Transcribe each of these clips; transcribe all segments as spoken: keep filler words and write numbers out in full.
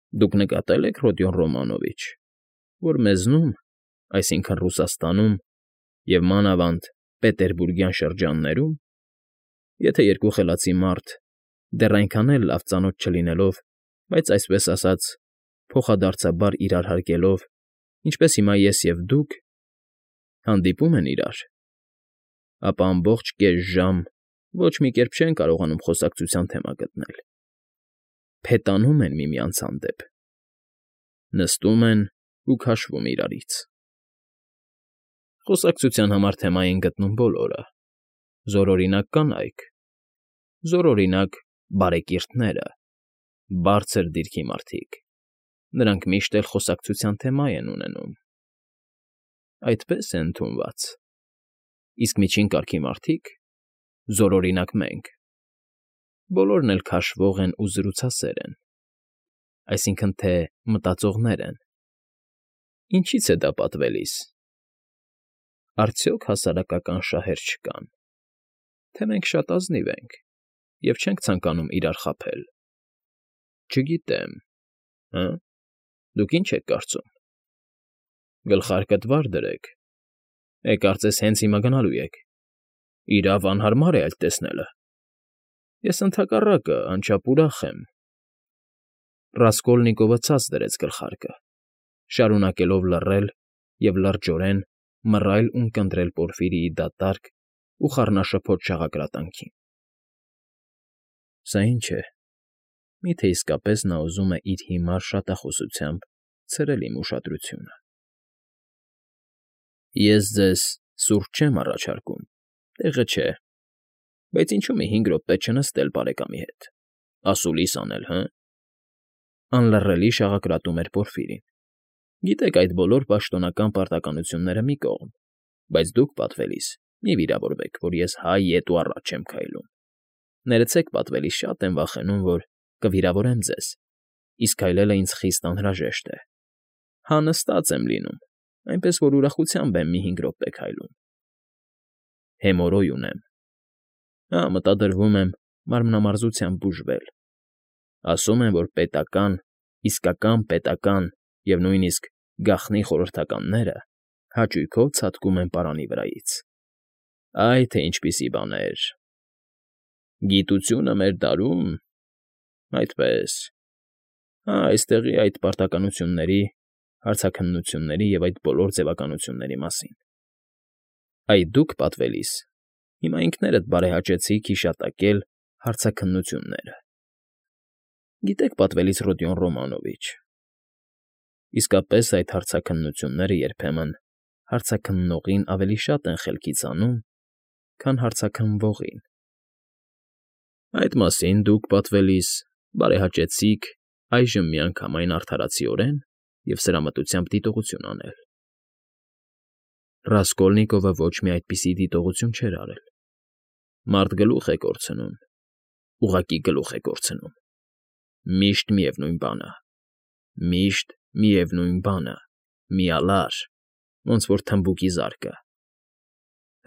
Դուք նկատե՞լ եք, Ռոդիոն Ռոմանովիչ, որ մեզնում, այսինքն՝ Ռուսաստանում և, մանավանդ, Պետերբուրգյան շրջաններում, եթե երկու խելացի մարդ, դեռ այնքան էլ լավ ծանոթ չլինելով, բայց, այսպես ասած, փոխադարձաբար իրար հարգելով, ինչպես հիմա ես և դուք, հանդիպում են իրար, ապա ամբողջ կես ժամ ոչ մի կերպ չեն կարողանում խոսակցության թեմա գտնել, փետանում են միմյանց հանդեպ, նստում են ու քաշվում իրարից։ Խոսակցության համար թեմա են գտնում բոլորը, զորօրինակ կանայք, զորօրինակ բարեկիրթները, բարձր դիրքի մարդիկ, նրանք միշտ էլ խոսակցության թեմա են ունենում, այդպես է ընդունված, իսկ միջին կարգի մարդիկ, զորօրինակ մենք, բոլորն էլ քաշվող են ու զրուցասեր են, այսինքն թե մտածողներ են։ Ինչի՞ց է դա պատվելիս։ Արդյոք հասարակական շահեր չկան, թե մենք շատ ազնիվ ենք և չենք ցանկանում իրար խաբել։ Չգիտեմ, հը՞, դուք ինչ եք կարծում։ Գլխարկդ վար դրեք, է, կարծես հենց հիմա գնալու եք, իրավ անհարմար է այլ տեսնելը։ Ես ընդհակառակը անչափ ուրախ եմ։ Ռասկոլնիկովը ցած դրեց գլխարկը, շարունակելով լռել և լրջորեն մռայլ ունկնդրել Պորֆիրիի դատարկ ու խառնաշփոթ շաղակրատանքին։ Սա ի՞նչ է, մի՞թե իսկապես նա ուզում է իր հիմար շատախոսությամբ ցրել իմ ուշադրությունը։ Ես ձեզ սուրճ չեմ առաջարկում, տեղը չէ, բայց ինչու՞ մի հինգ րոպե չնստել բարեկամի հետ, ասուլիս անել, հը՞։ Անլռելի շաղակրատում էր Պորֆիրին։ Գիտեք, այդ բոլոր պաշտոնական պարտականությունները մի կողմ, բայց դուք, պատվելիս, մի վիրավորվեք, որ ես հայ ետ ու առաջ չեմ քայլում։ Ներեցեք, պատվելիս, շատ եմ վախենում, որ կվիրավորեմ ձեզ, իսկ քայլելը ինձ խիստ անհրաժեշտ է։ Հա, նստած եմ լինում, այնպես որ ուրախությամբ եմ մի հինգ րոպե քայլում։ Հեմորոյ ունեմ։ Հա, մտադրվում եմ մարմնամարզությամբ բուժվել։ Ասում են, որ պետական, իսկական պետական և նույնիսկ գաղտնի խորհրդականները հաճույքով ցատկում են պարանի վրայից։ Այ թե ինչպիսի բաներ։ Գիտությունը մեր դարում… այդպես… Հա, այստեղի այդ պարտականությունների, հարցաքննությունների և այդ բոլոր ձևականությունների մասին։ Այ դուք, պատվելիս, հիմա ինքներդ բարեհաճեցիք հիշատակել հարցաքննությունները։ Գիտեք, պատվելիս Ռոդիոն Ռոմանովիչ, իսկապես այդ հարցաքննությունները երբեմն հարցաքննողին ավելի շատ են խելքից հանում, քան հարցաքննվողին։ Այդ մասին դուք, պատվելիս, բարեհաճեցիք այժմ միանգամայն արդարացիորեն և սրամտությամբ դիտողություն անել։ Ռասկոլնիկովը ոչ մի այդպիսի դիտողություն չէր արել։ Մարդ գլուխ է կորցնում, ուղղակի գլուխ է կորցնում։ Միշտ միևնույն բանը, միշտ միևնույն բանը, միալար, ոնց որ թմբուկի զարկը։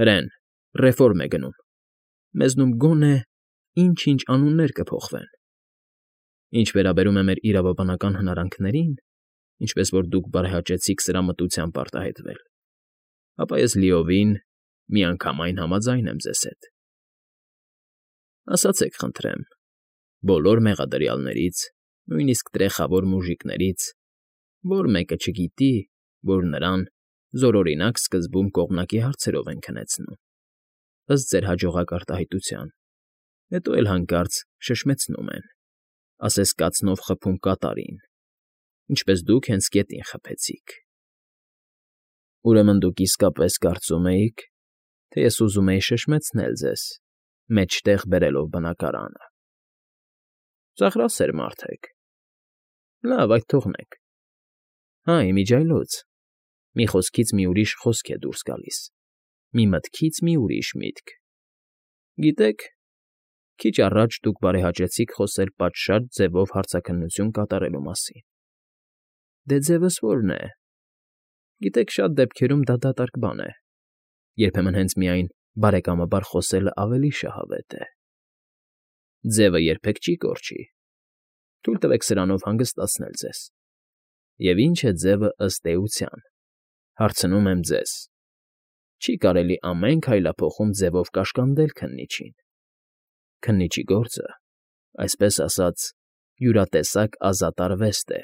Հրեն, ռեֆորմ է գնում, մեզնում գոնե ինչ֊ինչ անուններ կփոխվեն։ Ինչ վերաբերում է մեր իրավաբանական հնարանքներին, ինչպես որ դուք բարեհաճեցիք սրամտությամբ արտահայտվել, ապա ես լիովին, միանգամայն համաձայն եմ ձեզ հետ։ Ասացեք, խնդրեմ, բոլոր մեղադրյալներից, նույնիսկ տրեխավոր մուժիկներից, որ մեկը չգիտի, որ նրան զորօրինակ սկզբում կողմնակի հարցերով են քնեցնում, ըստ ձեր հաջողակ արտահայտության, հետո էլ հանկարծ շշմեցնում են, ասես կացնով խփում կատարին, ինչպես դուք հենց գետին խփեցիք։ Ուրեմն դուք իսկապես կարծում էիք, թե ես ուզում էի շշմեցնել ձեզ, մեջտեղ բերելով բնակարանը։ Ծաղրասեր մարդ եք։ Լավ, այդ թողնենք։ Հա, իմիջիայլոց, մի խոսքից մի ուրիշ խոսք է դուրս գալիս, մի մտքից մի ուրիշ միտք։ Գիտեք, քիչ առաջ դուք բարեհաճեցիք խոսել պատշաճ ձևով հարցաքննություն կատարելու մասին։ Դե ձևս ո՞րն է։ Գիտեք, շատ դեպքերում դա դատարկ բան է, երբեմն հենց միայն բարեկամաբար խոսելը ավելի շահավետ է։ Ձևը երբեք չի կորչի։ Թույլ տվեք սրանով հանգստացնել ձեզ։ Եվ ի՞նչ է ձևը ըստ էության, հարցնում եմ ձեզ. չի կարելի ամեն քայլափոխում ձևով կաշկանդել քննիչին։ Քննիչի գործը, այսպես ասած, յուրատեսակ ազատ արվեստ է,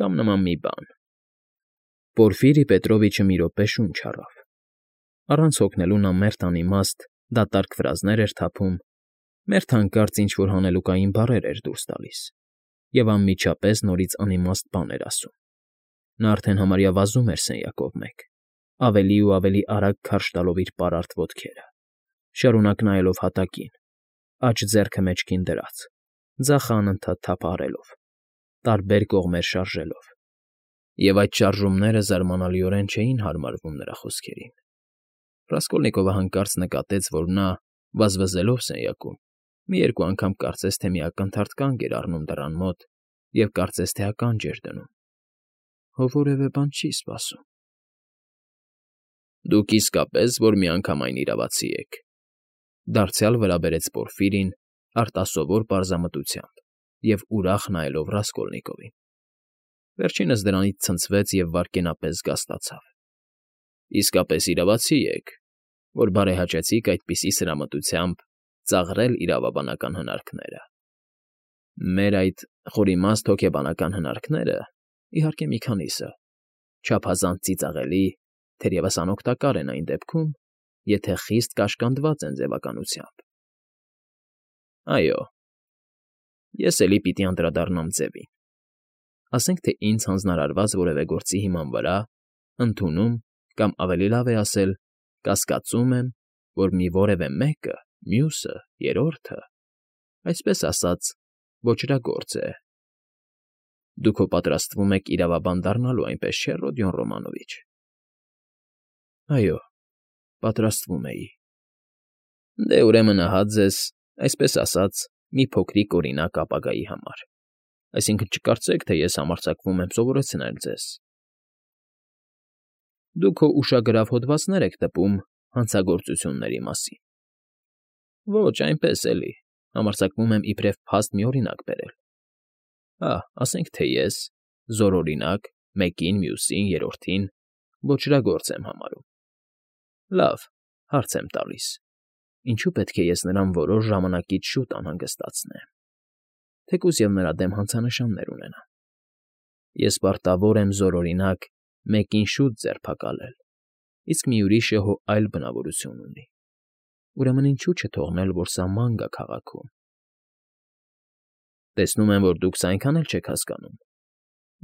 կամ նման մի բան։ Պորֆիրի Պետրովիչը մի րոպե շունչ առավ։ Առանց հոգնելու նա մերթ անիմաստ, դատարկ ֆրազներ էր թափում, մերթ հանկարծ ինչ֊որ հանելուկային բառեր էր դուրս տալիս և անմիջապես նորից անիմաստ բան էր ասում։ Նա արդեն համարյա վազում էր սենյակով մեկ, ավելի ու ավելի արագ քարշ տալով իր պարարտ ոտքերը, շարունակ նայելով հատակին, աջ ձեռքը մեջքին դրած, ձախը անընդհատ թափահարելով, տարբեր կողմեր շարժելով, և այդ շարժումները զարմանալիորեն չէին հարմարվում նրա խոսքերին։ Ռասկոլնիկովը հանկարծ նկատեց, որ նա, վազվզելով սենյակում, մի երկու անգամ կարծես թե մի ակնթարթ կանգ էր առնում դռան մոտ և կարծես թե ականջ էր դնում։ Հո որևէ բան չի սպասում։ Դուք իսկապես որ միանգամայն իրավացի եք,֊ դարձյալ վրա բերեց Պորֆիրին արտասովոր պարզամտությամբ և ուրախ նայելով Ռասկոլնիկովին։ Վերջինս դրանից ցնցվեց և վայրկենապես զգաստացավ։ Իսկապես իրավացի եք, որ բարեհաճեցիք այդպիսի սրամտությամբ ծաղրել իրավաբանական հնարքները։ Մեր այդ խորիմաստ հոգեբանական հնարքները, իհարկե մի քանիսը, չափազանց ծիծաղելի, թերևս անօգտակար են այն դեպքում, եթե խիստ կաշկանդված են ձևականությամբ։ Այո, ես էլի պիտի անդրադառնամ ձևին։ Ասենք թե ինձ հանձնարարված որևէ գործի հիման վրա, ընդունում կամ, ավելի լավ է ասել, կասկածում եմ, որ մի որևէ մեկը, մյուսը, երրորդը, այսպես ասած, ոճրագործ է։ Դուք հո պատրաստվում եք իրավաբան դառնալու, այնպես չէ՞, Ռոդիոն Ռոմանովիչ։ Այո, պատրաստվում էի։ Դե, ուրեմն ահա ձեզ, այսպես ասած, մի փոքրիկ օրինակ ապագայի համար, այսինքն՝ չկարծեք, թե ես համարձակվում եմ սովորեցնել ձեզ։ Դուք հո ուշագրավ հոդվածներ եք տպում հանցագործությունների մասին։ Ոչ, այնպես էլի, համարձակվում եմ իբրև փաստ մի օրինակ բերել։ Ահ, ասենք թե ես, զորօրինակ, մեկին, մյուսին, երրորդին ոճրագործ եմ համարում։ Լավ, հարց եմ տալիս. ինչու՞ պետք է ես նրան որոշ ժամանակից շուտ անհանգստացնեմ, թեկուզ և նրա դեմ հանցանշաններ ունենամ։ Ես պարտավոր եմ զորօրինակ մեկին շուտ ձերբակալել, իսկ մի ուրիշը հո այլ բնավորություն ունի։ Ուրեմն ինչո՞ւ չթողնել, որ սա ման գա քաղաքում։ Տեսնում եմ, որ դուք սա այնքան էլ չեք հասկանում։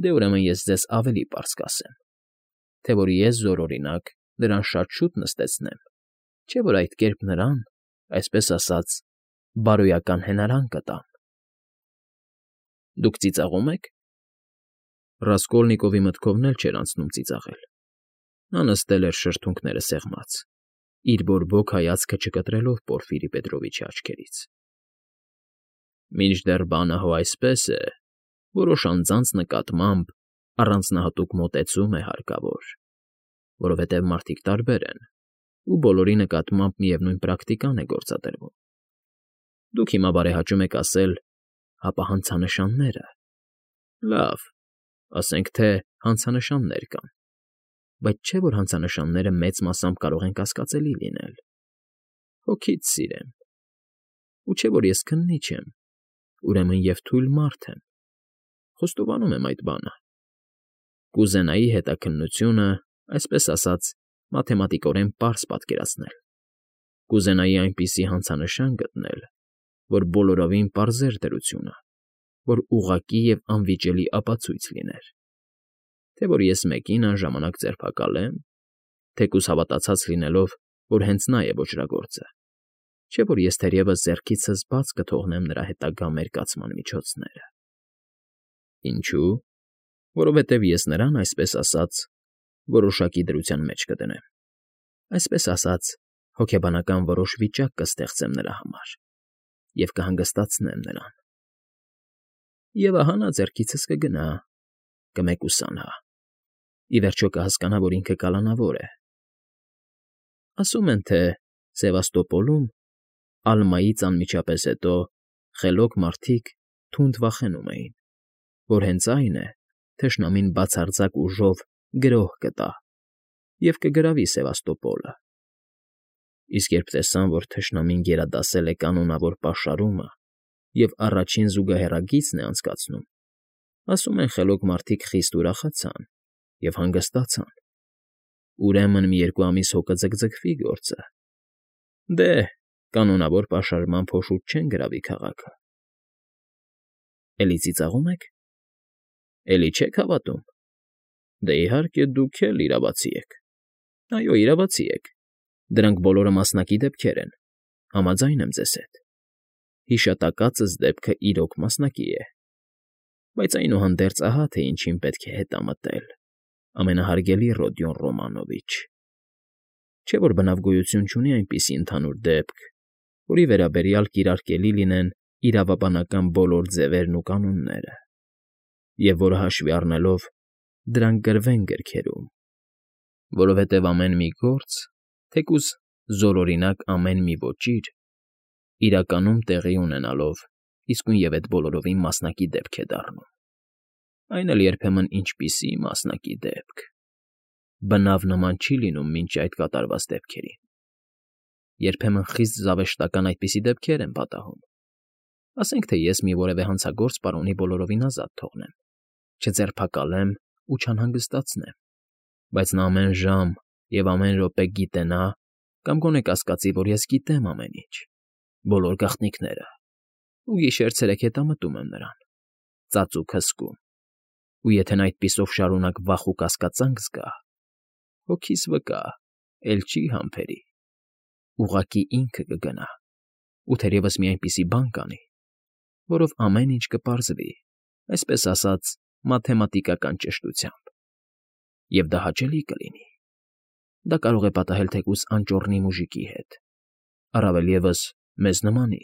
Դե, ուրեմն ես ձեզ ավելի պարզ կասեմ, թե որ ես զորօրինակ նրան շատ շուտ նստեցնեմ, չէ՞ որ այդ կերպ նրան, այսպես ասած, բարոյական հենարան կտամ։ Դուք ծիծաղո՞ւմ եք։ Ռասկոլնիկովի մտքովն էլ չէր անցնում ծիծաղել։ Նա նստել էր շրթունքները սեղմած, իր բորբոք հայացքը չկտրելով Պորֆիրի Պետրովիչի աչքերից։ Մինչդեռ բանը հո այսպես է, որոշ անձանց նկատմամբ առանձնահատուկ մոտեցում է հարկավոր, որովհետև մարդիկ տարբեր են, ու բոլորի նկատմամբ միևնույն պրակտիկան է գործադրվում։ Դուք հիմա բարեհաճում եք ասել՝ հապա հանցանշանները։ Լավ, ասենք թե հանցանշաններ կան, բայց չէ՞ որ հանցանշանները մեծ մասամբ կարող են կասկածելի լինել։ Հոգից սիրեմ։ Ու չէ՞ որ ես քննիչ եմ, ուրեմն և թույլ մարդ եմ։ Խոստովանում եմ այդ բանը։ Կուզենայի հետաքննությունը, այսպես ասած, մաթեմատիկորեն պարզ պատկերացնել։ Կուզենայի այնպիսի հանցանշան գտնել, որ բոլորովին պարզեր դրությունը, որ ուղղակի և անվիճելի ապացույց լիներ, թե որ ես մեկին անժամանակ ձերբակալեմ, թեկուզ հավատացած լինելով, որ հենց նա է ոճրագործը, չէ՞ որ ես թերևս ձեռքիցս բաց կթողնեմ նրա հետագա մերկացման միջոցները։ Ինչո՞ւ։ Որովհետև ես նրան, այսպես ասած, որոշակի դրության մեջ կդնեմ, այսպես ասած, հոգեբանական որոշ վիճակ կստեղծեմ նրա համար և կհանգստացնեմ նրան։ Եվ ահա նա ձեռքիցս կգնա, կմեկուսանա, ի վերջո կհասկանա, որ ինքը կալանավոր է։ Ասում են, թե Սևաստոպոլում, Ալմայից անմիջապես հետո, խելոք մարդիկ, թունդ վախենում էին, որ հենց այն է, թշնամին բացարձակ ուժով գրոհ կտա և կգրավի Սևաստոպոլը։ Իսկ երբ տեսան, որ թշնամին գերադասել է կանոնավոր պաշարումը և առաջին զուգահեռագիծն է անցկացնում, ասում են խելոք մարդիկ խիստ ուրախացան և հանգստացան։ Ուրեմն մի երկու ամիս հո կձգձգվի գործը։ Դե, կանոնավոր պաշարման փոշուտ չեն գրավի քաղաքը։ Էլի ծիծաղո՞ւմ եք։ Էլի չե՞ք հավատում։ Դե, իհարկե, դուք էլ իրավացի եք։ Այո, իրավացի եք։ Դրանք բոլորը մասնակի դեպքեր են, համաձայն եմ ձեզ հետ։ Հիշատակածս դեպքը իրոք մասնակի է։ Բայց այնուհանդերձ ահա թե ինչին պետք է հետամտել, ամենահարգելի Ռոդիոն Ռոմանովիչ։ Չէ՞ որ բնավ գոյություն չունի այնպիսի ընդհանուր դեպք, որի վերաբերյալ կիրարկելի լինեն իրավաբանական բոլոր ձևերն ու կանոնները, և որը հաշվի առնելով դրանք գրվեն գրքերում, որովհետև ամեն մի գործ, թեկուզ զորօրինակ ամեն մի ոճիր, իրականում տեղի ունենալով իսկույնև էդ բոլորովին մասնակի դեպք է դառնում, այն էլ երբեմն ինչպիսի մասնակի դեպք, բնավ նման չի լինում մինչ այդ կատարված դեպքերին, երբեմն խիստ զավեշտական այդպիսի դեպքեր են պատահում, ասենք թե ես մի որևէ հանցագործ պարոնի բոլորովին ազատ թողնեմ, չձերբակալեմ ու չանհանգստացնեմ, բայց նա ամեն ժամ և ամեն րոպե գիտենա կամ գոնե կասկածի, որ ես գիտեմ ամեն ինչ, բոլոր գաղտնիքները, ու գիշեր֊ցերեկ հետամտում եմ նրան, ծածուկ հսկում, ու եթե նա այդպիսով շարունակ վախ ու կասկածանք զգա, հոգիս վկա, էլ չի համբերի, ուղղակի ինքը կգնա ու թերևս մի այնպիսի բան կանի, որով ամեն ինչ կպարզվի, այսպես ասած, մաթեմատիկական ճշտությամբ, և դա հաճելի կլինի։ Դա կարող է պատահել թեկուզ անճոռնի մուժիկի հետ, առավել ևս մեզ նմանի,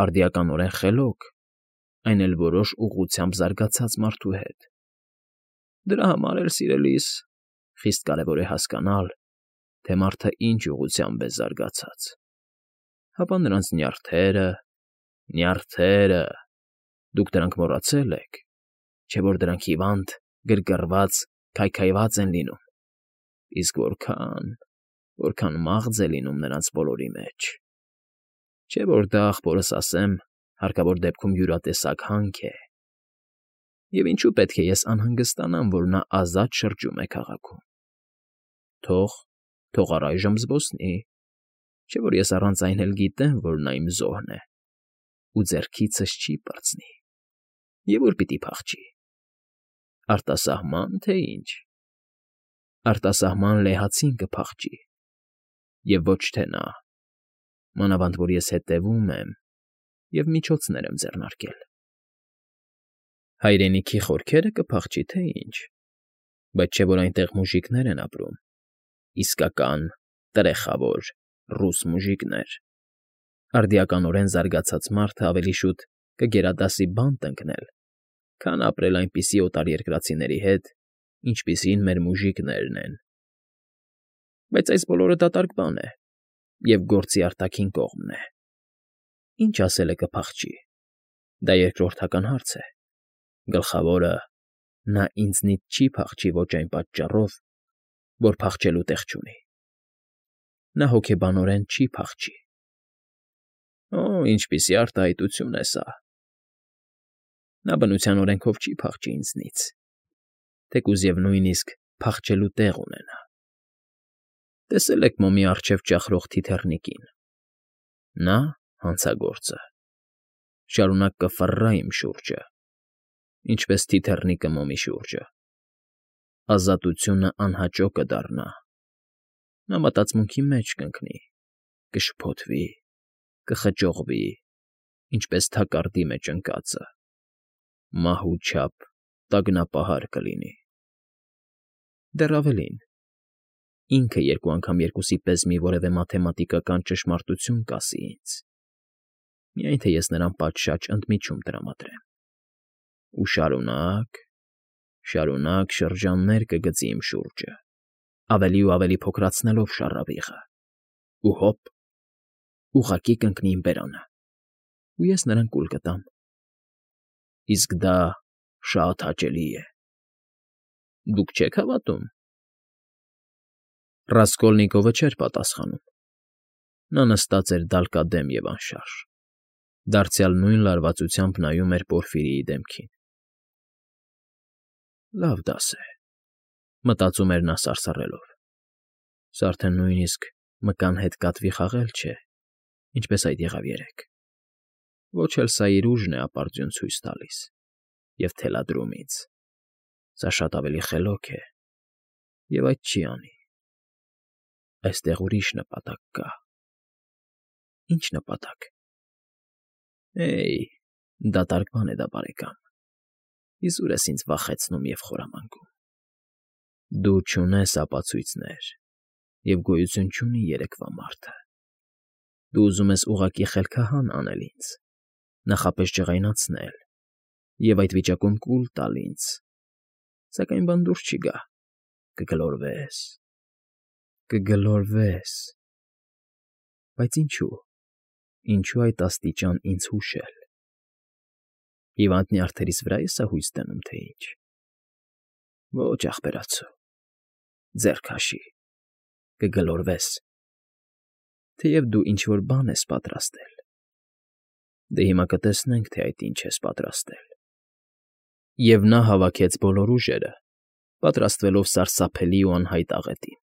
արդիականորեն խելոք, այն էլ որոշ ուղղությամբ զարգացած մարդու հետ։ Դրա համար էլ, սիրելիս, խիստ կարևոր է հասկանալ, թե մարդը ինչ ուղղությամբ է զարգացած, հապա նրանց նյարդերը, նյարդերը, դուք դրանք մոռացել եք, չէ՞ որ դրանք հիվանդ, գրգռված, քայքայված են լինում, իսկ որքան, որքան մաղձ է լինում նրանց բոլորի մեջ, չէ՞ որ դա, ախպորս ասեմ, հարկավոր դեպքում յուրատեսակ հանք է, և ինչու պետք է ես անհանգստանամ, որ նա ազատ շրջում է քաղաքում։ Թող, թող առայժմ զբոսնի, չէ՞ որ ես առանց այն էլ գիտեմ, որ նա իմ զոհն է ու ձեռքիցս չի պրծնի, և ուր պիտի փախչի, արտասահման, թե ինչ, արտասահման լեհացին կփախչի, և ոչ թե նա, մանավանդ որ ես հետևում եմ և միջոցներ եմ ձեռնարկել։ Հայրենիքի խորքերը կփախչի, թե ինչ, բայց չէ՞ որ այնտեղ մուժիկներ են ապրում, իսկական, տրեխավոր ռուս մուժիկներ, արդիականորեն զարգացած մարդը ավելի շուտ կգերադասի բանտ ընկնել, քան ապրել այնպիսի օտարերկրացիների հետ, ինչպիսին մեր մուժիկներն են։ Բայց այս բոլորը դատարկ բան է և գործի արտաքին կողմն է։ Ինչ ասել է կփախչի, դա երկրորդական հարց է, գլխավորը, նա ինձնից չի փախչի ոչ այն պատճառով, որ փախչելու տեղ չունի։ Նա հոգեբանորեն չի փախչի։ Օ՜, ինչպիսի արտահայտություն է սա։ Նա բնության օրենքով չի փախչի ինձնից, թեկուզ և նույնիսկ փախչելու տեղ ունենա։ Տեսել եք մոմի առջև ճախրող թիթեռնիկին։ Նա, հանցագործը, շարունակ կֆռռա իմ շուրջը, ինչպես թիթեռնիկը մոմի շուրջը։ Ազատությունը անհաճո կդառնա։ Նա մտածմունքի մեջ կընկնի, կշփոթվի, կխճողվի, ինչպես թակարդի մեջ ընկածը, մահու չափ տագնապահար կլինի։ Դեռ ավելին, ինքը երկու անգամ երկուսի պես մի որևէ մաթեմատիկական ճշմարտություն կասի ինձ, միայն թե ես նրան պատշաճ ընդմիջում տրամադրեմ, ու շարունակ, շարունակ շրջաններ կգծի իմ շուրջը, ավելի ու ավելի փոքրացնելով շառավիղը, ու հոպ, ուղղակի կընկնի իմ բերանը, ու ես նրան կուլ կտամ, Իսկ դա շատ հաճելի է։ Դուք չե՞ք հավատում։ Ռասկոլնիկովը չէր պատասխանում։ Նա նստած էր դալկադեմ և անշարժ, դարձյալ նույն լարվածությամբ նայում էր Պորֆիրիի դեմքին։ «Լավ դաս է,֊ մտածում էր նա սարսռելով,֊ սա արդեն նույնիսկ մկան հետ կատվի խաղել չէ, ինչպես այդ եղավ երեկ, ոչ էլ սա իր ուժն է ապարդյուն ցույց տալիս և թելադրում ինձ, սա շատ ավելի խելոք է և այդ չի անի։ Այստեղ ուրիշ նպատակ կա»։ «Ի՞նչ նպատակ»։ «Հեյ, դատարկ բան է դա, բարեկամ, իզուր ես ինձ վախեցնում և խորամանկում։ Դու չունես ապացույցներ, և գոյություն չունի երեկվա մարդը։ Դու ուզում ես ուղղակի խելքահան անել ինձ, նախապես ջղայնացնել և այդ վիճակում կուլ տալ ինձ, սակայն բան դուրս չի գա, կգլորվես, կգլորվես… Բայց ինչո՞ւ, ինչո՞ւ այդ աստիճան ինձ հուշել… Հիվանդ նյարդերիս վրա՞ ես սա հույս դնում, թե ինչ… Ոչ, ախպերացո, ձեռ քաշի, կգլորվես… Թեև դու ինչ֊որ բան ես պատրաստել… Դե հիմա կտեսնենք, թե այդ ինչ ես պատրաստել…» Եվ նա հավաքեց բոլոր ուժերը, պատրաստվելով սարսափելի ու անհայտ աղետին։